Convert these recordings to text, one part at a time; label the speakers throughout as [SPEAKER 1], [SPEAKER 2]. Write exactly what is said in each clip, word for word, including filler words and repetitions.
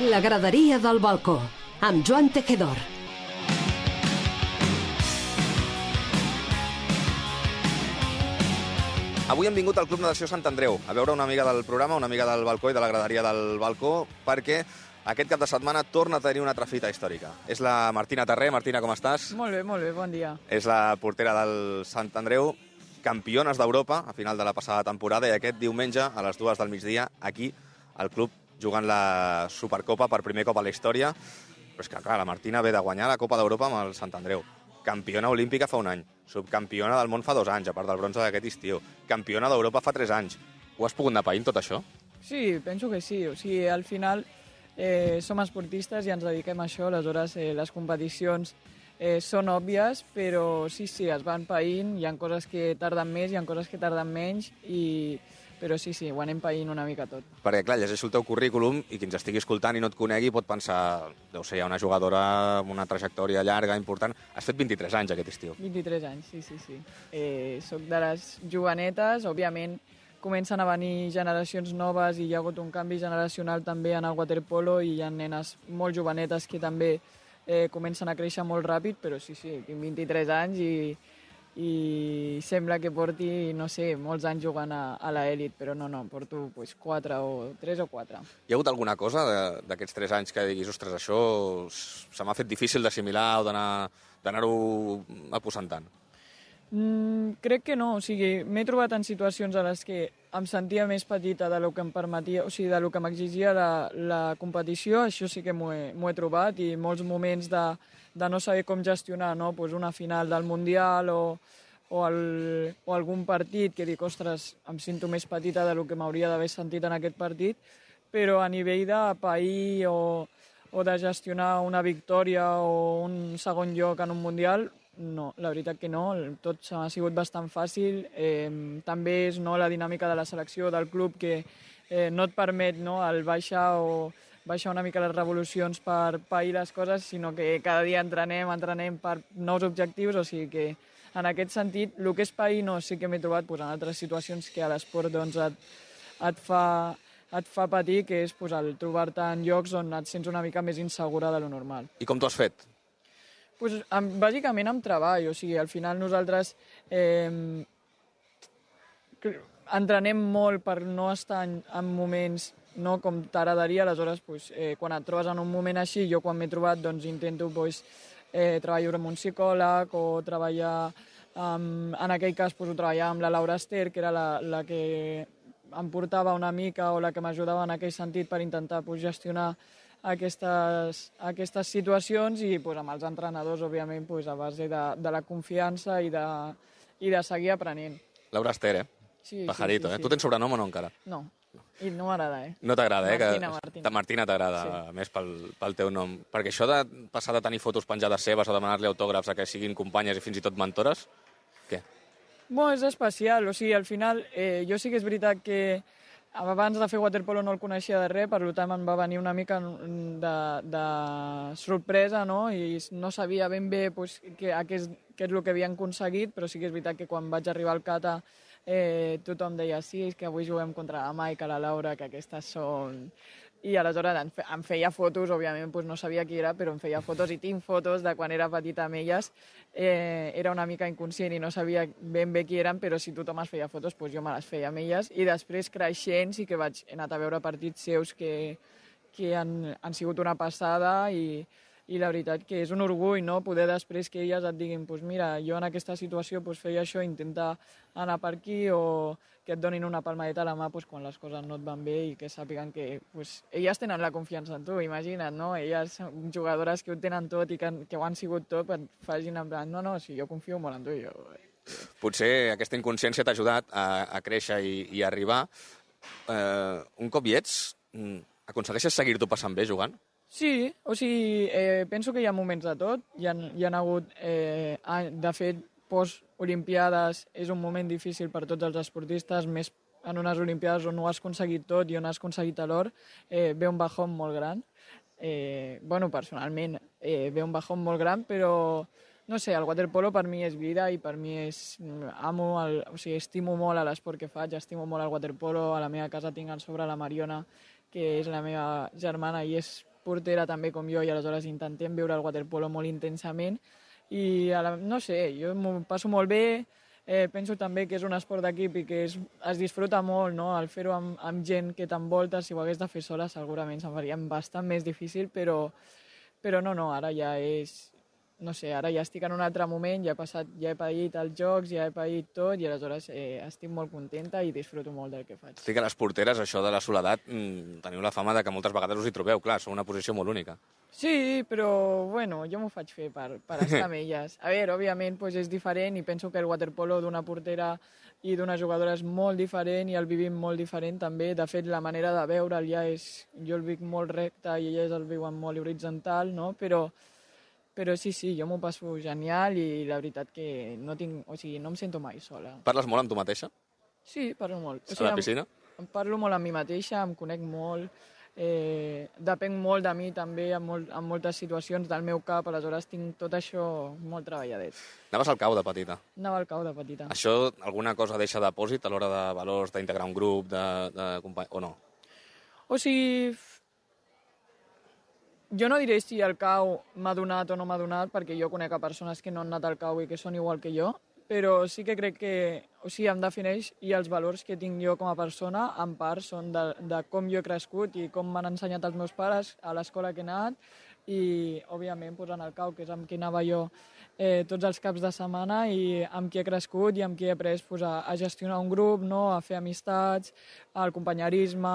[SPEAKER 1] La graderia del balcó, amb Joan Tejedor.
[SPEAKER 2] Avui hem vingut al Club Natació Sant Andreu a veure una amiga del programa, una amiga del balcó i de la graderia del balcó, perquè aquest cap de setmana torna a tenir una altra fita històrica. És la Martina Terré. Martina, com estàs?
[SPEAKER 3] Molt bé, molt bé, bon dia.
[SPEAKER 2] És la portera del Sant Andreu, campiones d'Europa a final de la passada temporada, i aquest diumenge a les dues del migdia aquí al club jugant la Supercopa per primer cop a la història. Però és que, clar, la Martina ve de guanyar la Copa d'Europa amb el Sant Andreu. Campiona olímpica fa un any, subcampiona del món fa dos anys, a part del bronze d'aquest estiu, campiona d'Europa fa tres anys. Ho has pogut anar païnt, tot això?
[SPEAKER 3] Sí, penso que sí. O sigui, al final eh, som esportistes i ens dediquem a això, aleshores eh, les competicions eh, són òbvies, però sí, sí, es van païnt, hi ha coses que tarden més, hi ha coses que tarden menys, i... però sí, sí, ho anem païnt una mica tot.
[SPEAKER 2] Perquè, clar, llegeixo el teu currículum i qui ens estigui escoltant i no et conegui pot pensar, deu ser, hi ha una jugadora amb una trajectòria llarga, important. Has fet vint-i-tres anys aquest estiu.
[SPEAKER 3] vint-i-tres anys, sí, sí, sí. Eh, soc de les jovenetes, òbviament comencen a venir generacions noves i hi ha hagut un canvi generacional també en el waterpolo i hi ha nenes molt jovenetes que també eh, comencen a créixer molt ràpid, però sí, sí, tinc vint-i-tres anys i... i sembla que porti, no sé, molts anys jugant a, a l'elit, però no, no, porto pues, quatre o tres o quatre.
[SPEAKER 2] Hi ha hagut alguna cosa d'aquests tres anys que diguis, ostres, això se m'ha fet difícil d'assimilar o d'anar-ho aposentant?
[SPEAKER 3] Mm, crec que no, o sigui, m'he trobat en situacions en les que em sentia més petita del que em permetia, o sigui, del que m'exigia la, la competició, això sí que m'ho he, he trobat, i molts moments de, de no saber com gestionar, no? Pues una final del Mundial o, o, el, o algun partit que dic, ostres, em sento més petita del que m'hauria d'haver sentit en aquest partit, però a nivell de pair o, o de gestionar una victòria o un segon lloc en un Mundial, no, la veritat que no, tot ha sigut bastant fàcil. Eh, també és no, la dinàmica de la selecció, del club, que eh, no et permet no, el baixar o baixar una mica les revolucions per pair les coses, sinó que cada dia entrenem, entrenem per nous objectius, o sigui que en aquest sentit, el que és pair no, sí que m'he trobat pues, en altres situacions que a l'esport doncs, et, et, fa, et fa patir, que és pues, el trobar-te en llocs on et sents una mica més insegura de lo normal.
[SPEAKER 2] I com t'ho has fet?
[SPEAKER 3] Pues, amb, bàsicament amb treball, o sigui, al final nosaltres eh, entrenem molt per no estar en, en moments no, com t'agradaria, aleshores pues, eh, quan et trobes en un moment així, jo quan m'he trobat doncs, intento pues, eh, treballar amb un psicòleg o treballar, um, en aquell cas pues, ho treballava amb la Laura Ester, que era la, la que em portava una mica o la que m'ajudava en aquell sentit per intentar pues, gestionar Aquestes, aquestes situacions i pues, amb els entrenadors, òbviament, pues, a base de, de la confiança i de, i de seguir aprenent.
[SPEAKER 2] Laura Ester, eh?
[SPEAKER 3] Sí,
[SPEAKER 2] Pajarito,
[SPEAKER 3] sí, sí,
[SPEAKER 2] eh?
[SPEAKER 3] sí.
[SPEAKER 2] Tu tens sobrenom o no encara?
[SPEAKER 3] No, i no m'agrada, eh?
[SPEAKER 2] No t'agrada, eh?
[SPEAKER 3] Martina,
[SPEAKER 2] que...
[SPEAKER 3] Martina.
[SPEAKER 2] Martina t'agrada, sí. Més pel, pel teu nom. Perquè això de passar de tenir fotos penjades seves o demanar-li autògrafs a que siguin companyes i fins i tot mentores, què?
[SPEAKER 3] Bueno, és especial, o sigui, al final, eh, jo sí que és veritat que abans de fer waterpolo no el coneixia de res, per tant em va venir una mica de, de sorpresa, no? I no sabia ben bé pues, què, què, és, què és el que havien aconseguit, però sí que és veritat que quan vaig arribar al Cata eh, tothom deia sí, és que avui juguem contra la Maica, la Laura, que aquestes són... I aleshores em, fe, em feia fotos, òbviament pues no sabia qui era, però em feia fotos i tinc fotos de quan era petita amb elles. Eh, era una mica inconscient i no sabia ben bé qui eren, però si tothom es feia fotos, pues jo me les feia amb elles. I després, creixent, sí que vaig he anat a veure partits seus que, que han, han sigut una passada i, i la veritat que és un orgull, no?, poder després que elles et diguin pues mira, jo en aquesta situació pues, feia això, intenta anar per aquí, o que et donin una palmadeta a la mà pues, quan les coses no et van bé i que sàpiguen que pues, elles tenen la confiança en tu, imagina't, no? Elles són jugadores que ho tenen tot i que, que ho han sigut tot, et facin en plan, no, no, si jo confio molt en tu. Jo...
[SPEAKER 2] Potser aquesta inconsciència t'ha ajudat a, a créixer i, i a arribar. Eh, un cop hi ets, aconsegueixes seguir-t'ho passant bé jugant?
[SPEAKER 3] Sí, o sigui, eh, penso que hi ha moments de tot. Hi ha, hi ha hagut, eh, de fet, post-olimpiades és un moment difícil per tots els esportistes, més en unes olimpiades on ho has aconseguit tot i on has aconseguit l'or, eh, ve un bajón molt gran. Eh, bueno, personalment, eh, ve un bajón molt gran, però no sé, el waterpolo per mi és vida i per mi és... Amo, el, o sigui, estimo molt l'esport que faig, estimo molt el waterpolo. A la meva casa tinc al sobre la Mariona, que és la meva germana i és portera també com jo i aleshores intentem veure el waterpolo molt intensament i, a la, no sé, jo m'ho passo molt bé, eh, penso també que és un esport d'equip i que es, es disfruta molt, no?, al fer-ho amb, amb gent que t'envolta. Si ho hagués de fer sola segurament se'n faria bastant més difícil, però, però no, no, ara ja és... No sé, ara ja estic en un altre moment, ja he passat, ja he paït els jocs, ja he paït tot i aleshores eh, estic molt contenta i disfruto molt del que faig.
[SPEAKER 2] Estic a les porteres, això de la soledat, mmm, teniu la fama de que moltes vegades us hi trobeu, clar, sou una posició molt única.
[SPEAKER 3] Sí, però, bueno, jo m'ho faig fer per, per estar amb elles. A veure, òbviament pues, és diferent i penso que el waterpolo d'una portera i d'una jugadora és molt diferent i el vivim molt diferent també. De fet, la manera de veure'l ja és... Jo el vic molt recte i elles el viuen molt horitzontal, no? Però... Però sí, sí, jo m'ho passo genial i la veritat que no tinc... O sigui, no em sento mai sola.
[SPEAKER 2] Parles molt amb tu mateixa?
[SPEAKER 3] Sí, parlo molt. O
[SPEAKER 2] sigui,
[SPEAKER 3] sigui,
[SPEAKER 2] a la piscina?
[SPEAKER 3] Em, em parlo molt amb mi mateixa, em conec molt, eh, depenc molt de mi també en, molt, en moltes situacions del meu cap, aleshores tinc tot això molt treballadet.
[SPEAKER 2] Anaves al cau de petita?
[SPEAKER 3] Anava al cau de petita.
[SPEAKER 2] Això alguna cosa deixa depòsit a l'hora de valors, d'integrar un grup, de, de company... o no?
[SPEAKER 3] O sigui... Jo no diré si el cau m'ha donat o no m'ha donat, perquè jo conec a persones que no han anat al cau i que són igual que jo, però sí que crec que, o sigui, em defineix i els valors que tinc jo com a persona, en part, són de, de com jo he crescut i com m'han ensenyat els meus pares a l'escola que he anat i, òbviament, pues, en el cau, que és amb qui anava jo eh, tots els caps de setmana i amb qui he crescut i amb qui he après pues, a, a gestionar un grup, no? A fer amistats, al companyerisme,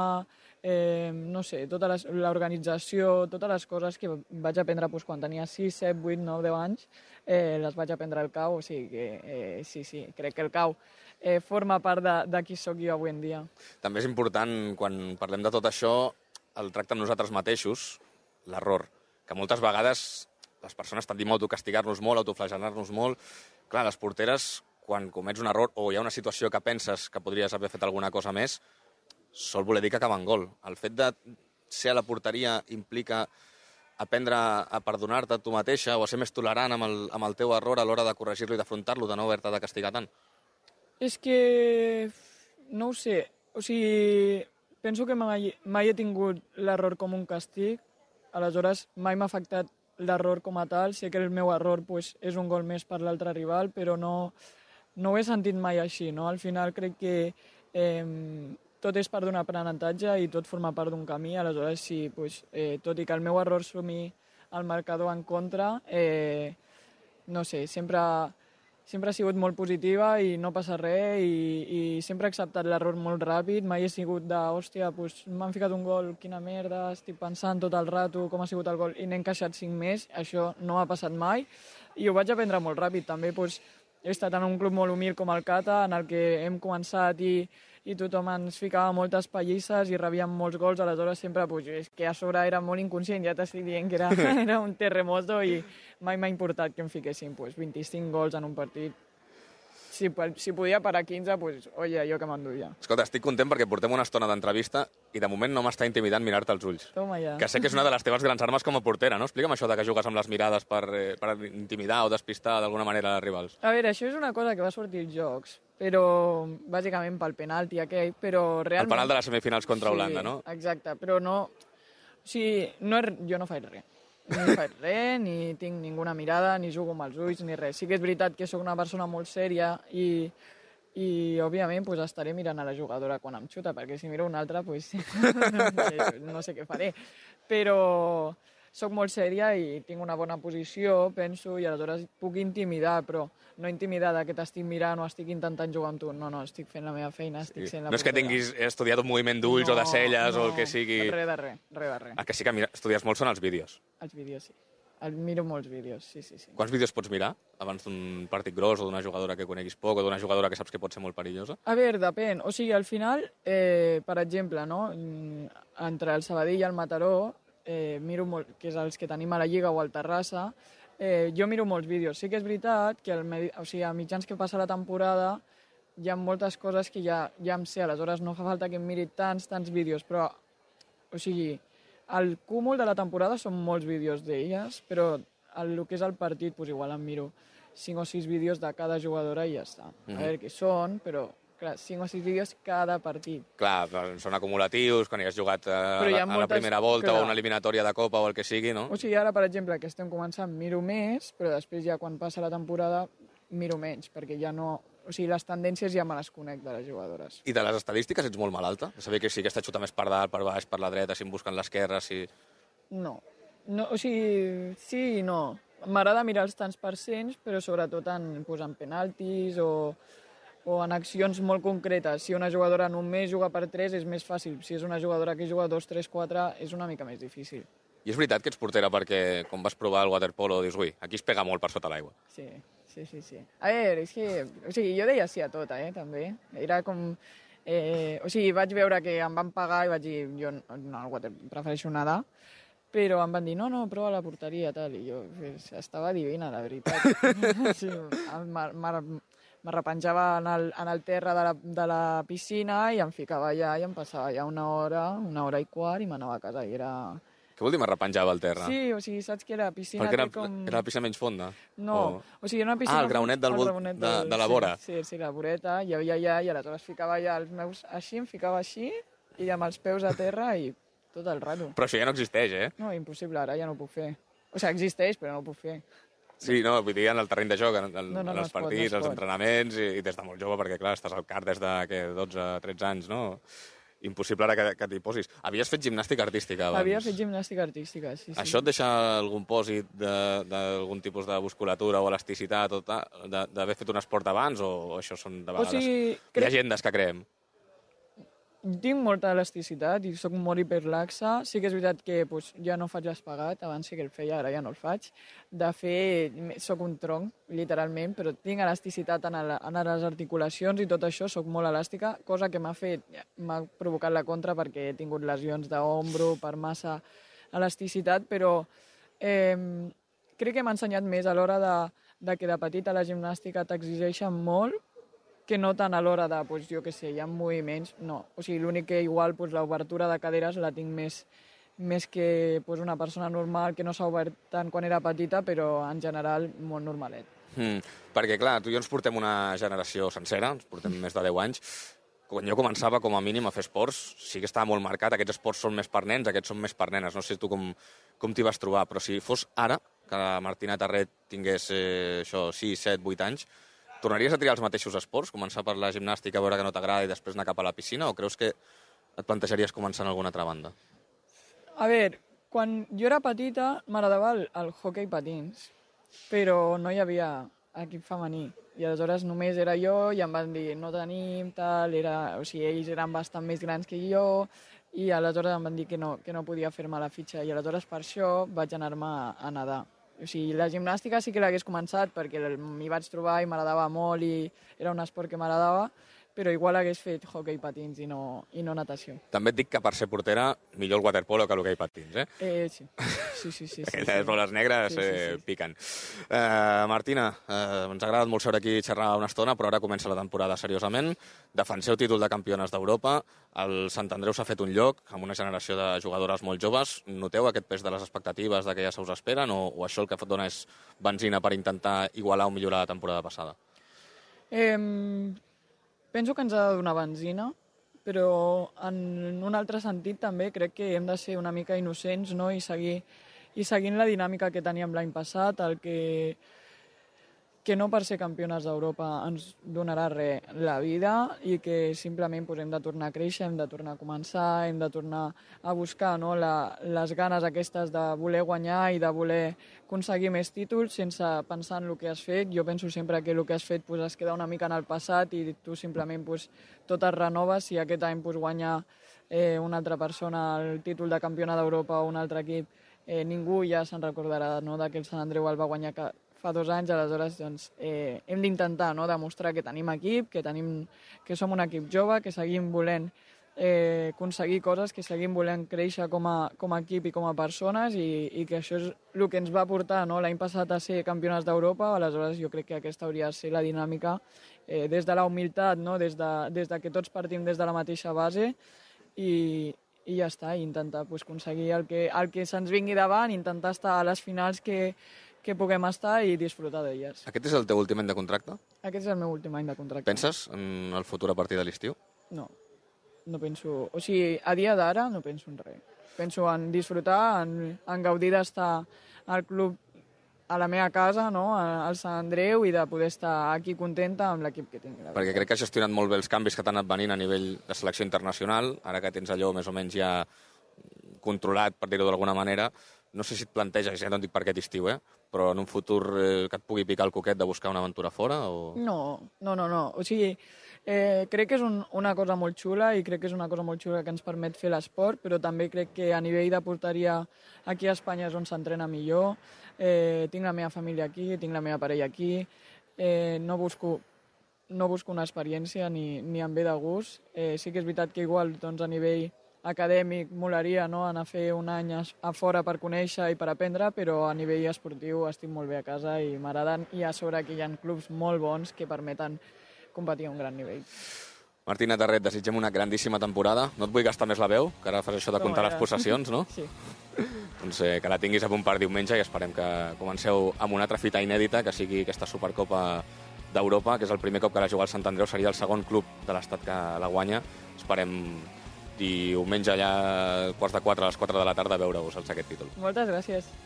[SPEAKER 3] eh, no sé, tota l'organització, totes les coses que vaig aprendre pues, quan tenia sis, set, vuit, nou, deu anys, eh, les vaig aprendre al cau, o sigui que eh, sí, sí, crec que el cau eh, forma part de, de qui sóc jo avui en dia.
[SPEAKER 2] També és important, quan parlem de tot això, el tracte amb nosaltres mateixos, l'error, que moltes vegades les persones tendim a autocastigar-nos molt, a autoflagelar-nos molt. Clar, les porteres, quan comets un error o hi ha una situació que penses que podries haver fet alguna cosa més, sol voler dir que acaba en gol. El fet de ser a la porteria implica aprendre a perdonar-te tu mateixa o a ser més tolerant amb el, amb el teu error a l'hora de corregir-lo i d'afrontar-lo, de no haver-te de castigar tant?
[SPEAKER 3] És que... no ho sé. O sigui, penso que mai, mai he tingut l'error com un castig, aleshores mai m'ha afectat l'error com a tal. Sé que el meu error pues, és un gol més per l'altre rival, però no, no ho he sentit mai així. No? Al final crec que eh, tot és part d'un aprenentatge i tot forma part d'un camí, aleshores sí, pues, eh, tot i que el meu error sumi el marcador en contra, eh, no sé, sempre, sempre ha sigut molt positiva i no passa res i, i sempre he acceptat l'error molt ràpid, mai he sigut de, hòstia, pues, m'han ficat un gol, quina merda, estic pensant tot el rato com ha sigut el gol i n'he encaixat cinc més, això no ha passat mai i ho vaig aprendre molt ràpid, també pues, he estat en un club molt humil com el Cata, en el que hem començat i i tothom ens ficava moltes pallisses i rebíem molts gols, aleshores sempre, pues, és que a sobre era molt inconscient, ja t'estic dient que era, era un terremoto i mai m'ha importat que em fiquessin pues, vint-i-cinc gols en un partit. Si, si podia parar quinze, pues, oye, jo que m'enduia.
[SPEAKER 2] Escolta, estic content perquè portem una estona d'entrevista i de moment no m'està intimidant mirar-te als ulls.
[SPEAKER 3] Toma ja.
[SPEAKER 2] Que sé que és una de les teves grans armes com a portera, no? Explica'm això de que jugues amb les mirades per, eh, per intimidar o despistar d'alguna manera els rivals.
[SPEAKER 3] A veure, això és una cosa que va sortir als Jocs, però bàsicament pel penalti aquell, però realment...
[SPEAKER 2] El penal de les semifinals contra
[SPEAKER 3] sí,
[SPEAKER 2] Holanda, no?
[SPEAKER 3] Exacte, però no... O sigui, no és... jo no faig res. Ni faig res, ni tinc ninguna mirada, ni jugo amb els ulls, ni res. Sí que és veritat que sóc una persona molt sèria i, i òbviament, pues, estaré mirant a la jugadora quan em xuta, perquè si miro una altra, pues, no, sé, no sé què faré. Però sóc molt sèria i tinc una bona posició, penso, i aleshores puc intimidar, però no intimidar que t'estic mirant o estic intentant jugar amb tu. No, no, estic fent la meva feina, estic
[SPEAKER 2] sí.
[SPEAKER 3] sent la
[SPEAKER 2] No és que tinguis estudiat un moviment d'ulls
[SPEAKER 3] no,
[SPEAKER 2] o de celles
[SPEAKER 3] no,
[SPEAKER 2] o el que sigui...
[SPEAKER 3] res de res, res de res.
[SPEAKER 2] El que sí que mira, estudies molt són els vídeos.
[SPEAKER 3] Els vídeos, sí. El miro molts vídeos, sí, sí, sí.
[SPEAKER 2] Quants vídeos pots mirar abans d'un partit gros o d'una jugadora que coneguis poc o d'una jugadora que saps que pot ser molt perillosa?
[SPEAKER 3] A veure, depèn. O sigui, al final, eh, per exemple, no? Entre el Sabadell i el Mataró, eh, miro molt, que és els que tenim a la Lliga o al Terrassa, eh, jo miro molts vídeos. Sí que és veritat que el, o sigui, a mitjans que passa la temporada hi ha moltes coses que ja, ja em sé, aleshores no fa falta que em miri tants, tants vídeos, però, o sigui, el cúmul de la temporada són molts vídeos d'elles, però el, el que és el partit, pues igual em miro cinc o sis vídeos de cada jugadora i ja està. Mm-hmm. A veure què són, però clar, cinc o sis vídeos cada partit.
[SPEAKER 2] Clar, són acumulatius, quan hi has jugat a,
[SPEAKER 3] Però hi
[SPEAKER 2] a
[SPEAKER 3] ha
[SPEAKER 2] la
[SPEAKER 3] moltes-
[SPEAKER 2] primera volta
[SPEAKER 3] clar.
[SPEAKER 2] o una eliminatòria de Copa o el que sigui, no?
[SPEAKER 3] O sigui, ara, per exemple, que estem començant, miro més, però després ja quan passa la temporada miro menys, perquè ja no... O sigui, les tendències ja me les conec de les jugadores.
[SPEAKER 2] I de les estadístiques ets molt malalta? De saber que si aquesta xuta més per dalt, per baix, per la dreta, si em busquen l'esquerra, si...
[SPEAKER 3] No. no. O sigui, sí i no. M'agrada mirar els tants percents, però sobretot en, pues, en penaltis o, o en accions molt concretes. Si una jugadora només juga per tres és més fàcil. Si és una jugadora que juga dos, tres, quatre és una mica més difícil.
[SPEAKER 2] I és veritat que ets portera perquè, quan vas provar el waterpolo, dius, ui, aquí es pega molt per sota l'aigua.
[SPEAKER 3] Sí, sí, sí, sí. A veure, és que... O sigui, jo deia sí a tot, eh, també. Era com... Eh, o sigui, vaig veure que em van pagar i vaig dir, jo no, el water, prefereixo nedar, però em van dir, no, no, prova la porteria, tal, i jo pues, estava divina, la veritat. Sí, m'arrepenjava en, el, en el terra de la, de la piscina i em ficava allà i em passava ja una hora, una hora i quart i m'anava a casa i era...
[SPEAKER 2] Què vol dir m'arrepenjava al terra?
[SPEAKER 3] Sí, o sigui, saps que era piscina...
[SPEAKER 2] Perquè era,
[SPEAKER 3] com...
[SPEAKER 2] era la piscina menys fonda?
[SPEAKER 3] No, o, o sigui, era una piscina...
[SPEAKER 2] Ah, el graonet del volt de,
[SPEAKER 3] del...
[SPEAKER 2] de la vora.
[SPEAKER 3] Sí, sí, sí, la voreta, hi havia allà i aleshores ficava allà els meus... Així, em ficava així i amb els peus a terra i tot el rato.
[SPEAKER 2] Però això ja no existeix, eh?
[SPEAKER 3] No, impossible, ara ja no ho puc fer. O sigui, existeix, però no ho puc fer.
[SPEAKER 2] Sí, no, vull dir, en el terreny de joc, en, en,
[SPEAKER 3] No, no,
[SPEAKER 2] en
[SPEAKER 3] no
[SPEAKER 2] els
[SPEAKER 3] es pot,
[SPEAKER 2] partits,
[SPEAKER 3] no es
[SPEAKER 2] els
[SPEAKER 3] pot.
[SPEAKER 2] entrenaments, i, i des de molt jove, perquè, clar, estàs al car des de que, dotze tretze anys, no? Impossible ara que, que t'hi posis. Havies fet gimnàstica artística abans.
[SPEAKER 3] Havia fet gimnàstica artística, sí, sí.
[SPEAKER 2] Això et deixa algun pòsit d'algun tipus de musculatura o elasticitat o tal, de- d'haver fet un esport abans, o, o això són de vegades
[SPEAKER 3] sigui, crec-
[SPEAKER 2] llegendes que creem?
[SPEAKER 3] Tinc molta elasticitat i sóc molt hiperlaxa. Sí que és veritat que pues, ja no faig l'espagat, abans sí que el feia, ara ja no el faig. De fet, sóc un tronc, literalment, però tinc elasticitat en, el, en les articulacions i tot això, sóc molt elàstica, cosa que m'ha fet, m'ha provocat la contra perquè he tingut lesions d'ombro per massa elasticitat, però eh, crec que m'ha ensenyat més a l'hora de, de que de petita la gimnàstica t'exigeixen molt, que no tant a l'hora de, pues, jo què sé, hi ha moviments, no. O sigui, l'únic que igual pues, l'obertura de caderes la tinc més, més que pues, una persona normal que no s'ha obert tant quan era petita, però en general molt normalet.
[SPEAKER 2] Mm, perquè, clar, tu i jo ens portem una generació sencera, ens portem més de deu anys. Quan jo començava, com a mínim, a fer esports, sí que estava molt marcat, aquests esports són més per nens, aquests són més per nenes. No sé tu com, com t'hi vas trobar, però si fos ara, que la Martina Tarret tingués eh, això, sis, set, vuit anys, tornaries a triar els mateixos esports? Començar per la gimnàstica, veure que no t'agrada i després anar cap a la piscina? O creus que et plantejaries començar en alguna altra banda?
[SPEAKER 3] A veure, quan jo era petita m'agradava el, el hoquei patins, però no hi havia equip femení. I aleshores només era jo i em van dir no tenim, tal, era, o sigui, ells eren bastant més grans que jo i aleshores em van dir que no, que no podia fer-me la fitxa i aleshores per això vaig anar-me a, a nedar. O sigui, la gimnàstica sí que l'hagués començat perquè m'hi vaig trobar i m'agradava molt i era un esport que m'agradava, però igual hagués fet hoquei patins i no, i no natació.
[SPEAKER 2] També et dic que per ser portera, millor el waterpolo que l'hoquei patins, eh?
[SPEAKER 3] Eh, sí. Sí, sí, sí. sí,
[SPEAKER 2] Aquelles
[SPEAKER 3] sí.
[SPEAKER 2] boles negres
[SPEAKER 3] Sí, sí,
[SPEAKER 2] eh,
[SPEAKER 3] sí.
[SPEAKER 2] piquen. Uh, Martina, uh, ens ha agradat molt seure aquí i xerrar una estona, però ara comença la temporada seriosament. Defenseu títol de campiones d'Europa. El Sant Andreu s'ha fet un lloc amb una generació de jugadores molt joves. Noteu aquest pes de les expectatives de que ja se us esperen o, o això el que dona és benzina per intentar igualar o millorar la temporada passada?
[SPEAKER 3] Eh, penso que ens ha de donar benzina, però en un altre sentit també crec que hem de ser una mica innocents, no? I seguir i seguint la dinàmica que teníem l'any passat, el que, que no per ser campiones d'Europa ens donarà res la vida i que simplement pues, hem de tornar a créixer, hem de tornar a començar, hem de tornar a buscar no? la, les ganes aquestes de voler guanyar i de voler aconseguir més títols sense pensar en el que has fet. Jo penso sempre que el que has fet pues, es queda una mica en el passat i tu simplement pues, tot es renoves. Si aquest any pues, guanya eh, una altra persona el títol de campiona d'Europa o un altre equip, eh, ningú ja se'n recordarà no? de que el Sant Andreu el va guanyar que fa dos anys, aleshores doncs, eh, hem d'intentar no? demostrar que tenim equip, que, tenim, que som un equip jove, que seguim volent eh, aconseguir coses, que seguim volent créixer com a, com a equip i com a persones i, i que això és el que ens va portar no? l'any passat a ser campionats d'Europa. Aleshores jo crec que aquesta hauria de ser la dinàmica eh, des de la humilitat, no? des, de, des de que tots partim des de la mateixa base i, i ja està, i intentar pues, aconseguir el que, el que se'ns vingui davant, intentar estar a les finals que, que puguem estar i disfrutar d'elles.
[SPEAKER 2] Aquest és el teu últim any de contracte?
[SPEAKER 3] Aquest és el meu últim any de contracte.
[SPEAKER 2] Penses en el futur a partir de l'estiu?
[SPEAKER 3] No, no penso... O sigui, a dia d'ara no penso en res. Penso en disfrutar, en, en gaudir d'estar al club a la meva casa, no? Al Sant Andreu, i de poder estar aquí contenta amb l'equip que tinc.
[SPEAKER 2] Perquè crec que has gestionat molt bé els canvis que t'han anat venint a nivell de selecció internacional, ara que tens allò més o menys ja controlat, per dir-ho d'alguna manera. No sé si et planteges, ja no et dic per aquest estiu, eh? Però en un futur eh, que et pugui picar el coquet de buscar una aventura fora? O...
[SPEAKER 3] No, no, no, no. O sigui, eh, crec que és un, una cosa molt xula i crec que és una cosa molt xula que ens permet fer l'esport, però també crec que a nivell de porteria aquí a Espanya és on s'entrena millor. Eh, tinc la meva família aquí, tinc la meva parella aquí. Eh, no busco no busco una experiència ni, ni em ve de gust. Eh, sí que és veritat que igual doncs, a nivell acadèmic molaria, no? Anar a fer un any a, a fora per conèixer i per aprendre, però a nivell esportiu estic molt bé a casa i m'agraden, i a sobre que hi ha clubs molt bons que permeten competir a un gran nivell.
[SPEAKER 2] Martina Tarret, desitgem una grandíssima temporada. No et vull gastar més la veu, que ara fas això de comptar les possessions, no?
[SPEAKER 3] Sí.
[SPEAKER 2] Doncs eh, que la tinguis a punt per diumenge i esperem que comenceu amb una altra fita inèdita, que sigui aquesta Supercopa d'Europa, que és el primer cop que la juga al Sant Andreu, seria el segon club de l'estat que la guanya. Esperem diumenge allà, quarts de quatre, a les quatre de la tarda, veure-vos aquest títol.
[SPEAKER 3] Moltes gràcies.